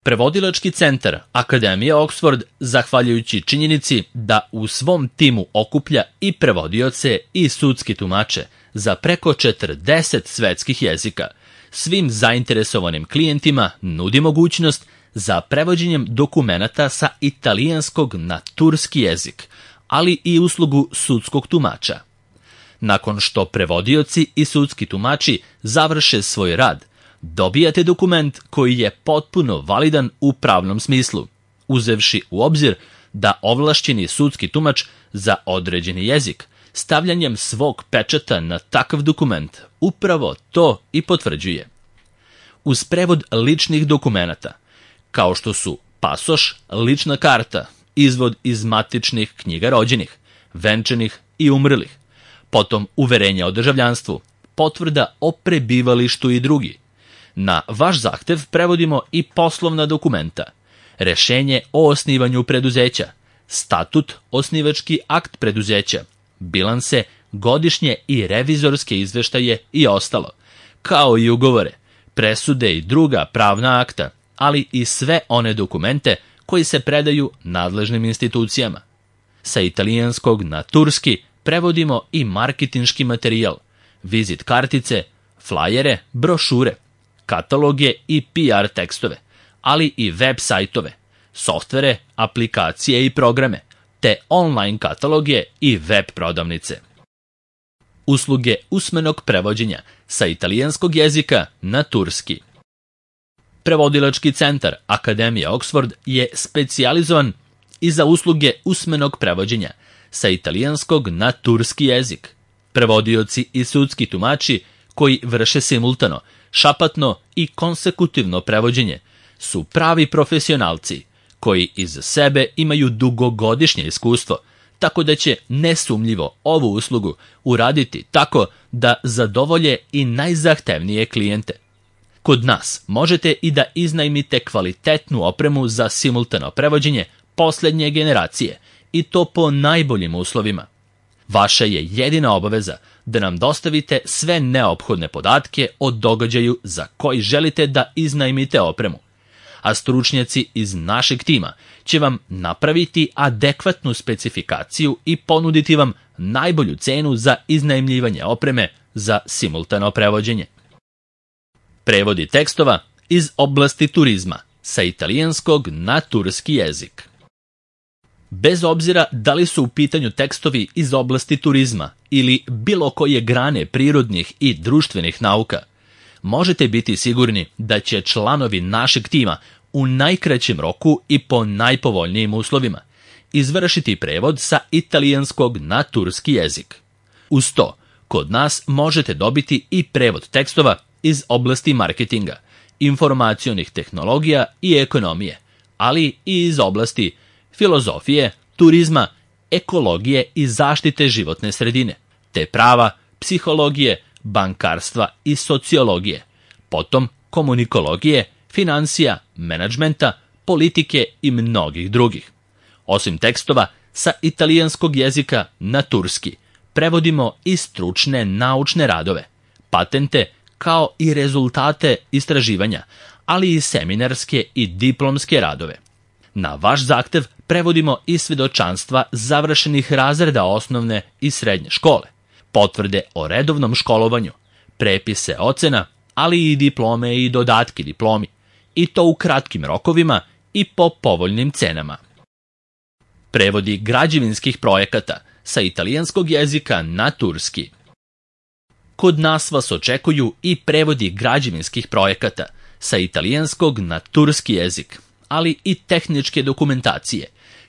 Prevodilački centar Akademije Oxford, zahvaljujući činjenici da u svom timu okuplja i prevodioce i sudski tumače za preko 40 svetskih jezika, svim zainteresovanim klijentima nudi mogućnost za prevođenjem dokumenata sa italijanskog na turski jezik, ali i uslugu sudskog tumača. Nakon što prevodioci i sudski tumači završe svoj rad, dobijate dokument koji je potpuno validan u pravnom smislu, uzevši u obzir da ovlašćeni sudski tumač za određeni jezik stavljanjem svog pečata na takav dokument upravo to i potvrđuje. Uz prevod ličnih dokumenata, kao što su pasoš, lična karta, izvod iz matičnih knjiga rođenih, venčanih i umrlih, potom uverenja o državljanstvu, potvrda o prebivalištu i drugi. Na vaš zahtev prevodimo i poslovna dokumenta, rešenje o osnivanju preduzeća, statut, osnivački akt preduzeća, bilanse, godišnje i revizorske izveštaje i ostalo, kao i ugovore, presude i druga pravna akta, ali i sve one dokumente koji se predaju nadležnim institucijama. Sa italijanskog na turski prevodimo i marketinški materijal, vizit kartice, flajere, brošure, kataloge i PR tekstove, ali i web sajtove, softvere, aplikacije i programe, te online kataloge i web prodavnice. Usluge usmenog prevođenja sa italijanskog jezika na turski. Prevodilački centar Akademije Oxford je specijalizovan i za usluge usmenog prevođenja sa italijanskog na turski jezik. Prevodioci i sudski tumači koji vrše simultano, šapatno i konsekutivno prevođenje su pravi profesionalci koji iza sebe imaju dugogodišnje iskustvo, tako da će nesumnjivo ovu uslugu uraditi tako da zadovolje i najzahtevnije klijente. Kod nas možete i da iznajmite kvalitetnu opremu za simultano prevođenje posljednje generacije i to po najboljim uslovima. Vaša je jedina obaveza da nam dostavite sve neophodne podatke o događaju za koji želite da iznajmite opremu, a stručnjaci iz našeg tima će vam napraviti adekvatnu specifikaciju i ponuditi vam najbolju cenu za iznajmljivanje opreme za simultano prevođenje. Prevodi tekstova iz oblasti turizma sa italijanskog na turski jezik. Bez obzira da li su u pitanju tekstovi iz oblasti turizma ili bilo koje grane prirodnih i društvenih nauka, možete biti sigurni da će članovi našeg tima u najkraćem roku i po najpovoljnijim uslovima izvršiti prevod sa italijanskog na turski jezik. Uz to, kod nas možete dobiti i prevod tekstova iz oblasti marketinga, informacionih tehnologija i ekonomije, ali i iz oblasti filozofije, turizma, ekologije i zaštite životne sredine, te prava, psihologije, bankarstva i sociologije, potom komunikologije, financija, menadžmenta, politike i mnogih drugih. Osim tekstova sa italijanskog jezika na turski, prevodimo i stručne naučne radove, patente, kao i rezultate istraživanja, ali i seminarske i diplomske radove. Na vaš zahtev prevodimo i svjedočanstva završenih razreda osnovne i srednje škole, potvrde o redovnom školovanju, prepise ocena, ali i diplome i dodatke diplomi, i to u kratkim rokovima i po povoljnim cenama. Prevodi građevinskih projekata sa italijanskog jezika na turski. Kod nas vas očekuju i prevodi građevinskih projekata sa italijanskog na turski jezik, ali i tehničke dokumentacije,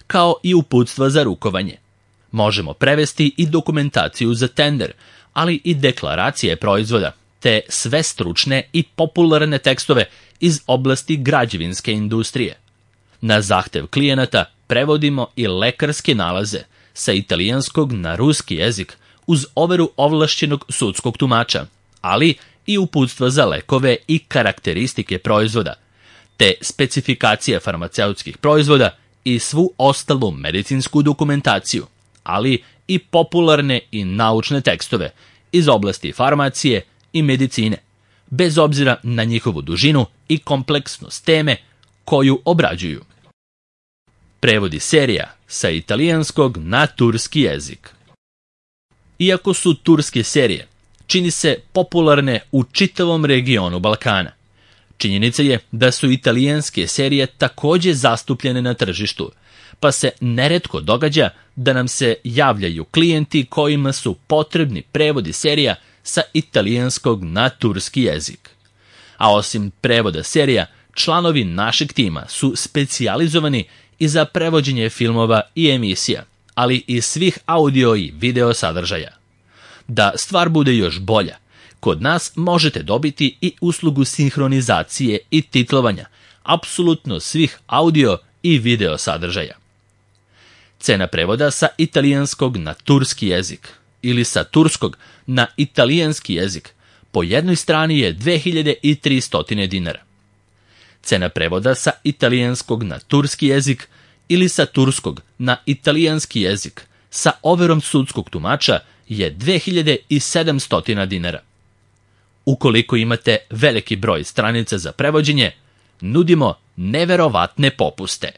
kao i uputstva za rukovanje. Možemo prevesti i dokumentaciju za tender, ali i deklaracije proizvoda, te sve stručne i popularne tekstove iz oblasti građevinske industrije. Na zahtev klijenata prevodimo i lekarske nalaze sa italijanskog na ruski jezik uz overu ovlašćenog sudskog tumača, ali i uputstva za lekove i karakteristike proizvoda, te specifikacije farmaceutskih proizvoda i svu ostalu medicinsku dokumentaciju, ali i popularne i naučne tekstove iz oblasti farmacije i medicine, bez obzira na njihovu dužinu i kompleksnost teme koju obrađuju. Prevodi serija sa italijanskog na turski jezik. Iako su turske serije, čini se popularne u čitavom regionu Balkana. Činjenica je da su italijanske serije također zastupljene na tržištu, pa se neretko događa da nam se javljaju klijenti kojima su potrebni prevodi serija sa italijanskog na turski jezik. A osim prevoda serija, članovi našeg tima su specijalizovani i za prevođenje filmova i emisija, ali i svih audio i video sadržaja. Da stvar bude još bolja, kod nas možete dobiti i uslugu sinhronizacije i titlovanja apsolutno svih audio i video sadržaja. Cena prevoda sa italijanskog na turski jezik ili sa turskog na italijanski jezik po jednoj strani je 2300 dinara. Cena prevoda sa italijanskog na turski jezik ili sa turskog na italijanski jezik sa overom sudskog tumača je 2700 dinara. Ukoliko imate veliki broj stranica za prevođenje, nudimo neverovatne popuste.